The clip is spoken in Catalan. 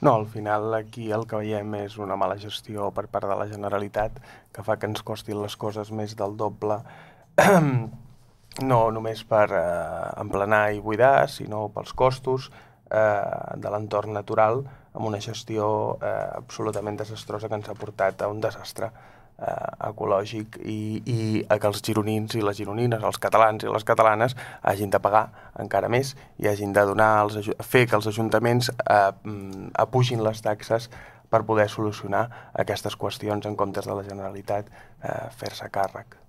No, al final aquí el que veiem és una mala gestió per part de la Generalitat que fa que ens costin les coses més del doble, no només per emplenar i buidar, sinó pels costos de l'entorn natural, amb una gestió absolutament desastrosa que ens ha portat a un desastre ecològic i a que els gironins i les gironines, els catalans i les catalanes hagin de pagar encara més i hagin de fer que els ajuntaments apugin les taxes per poder solucionar aquestes qüestions en comptes de la Generalitat fer-se càrrec.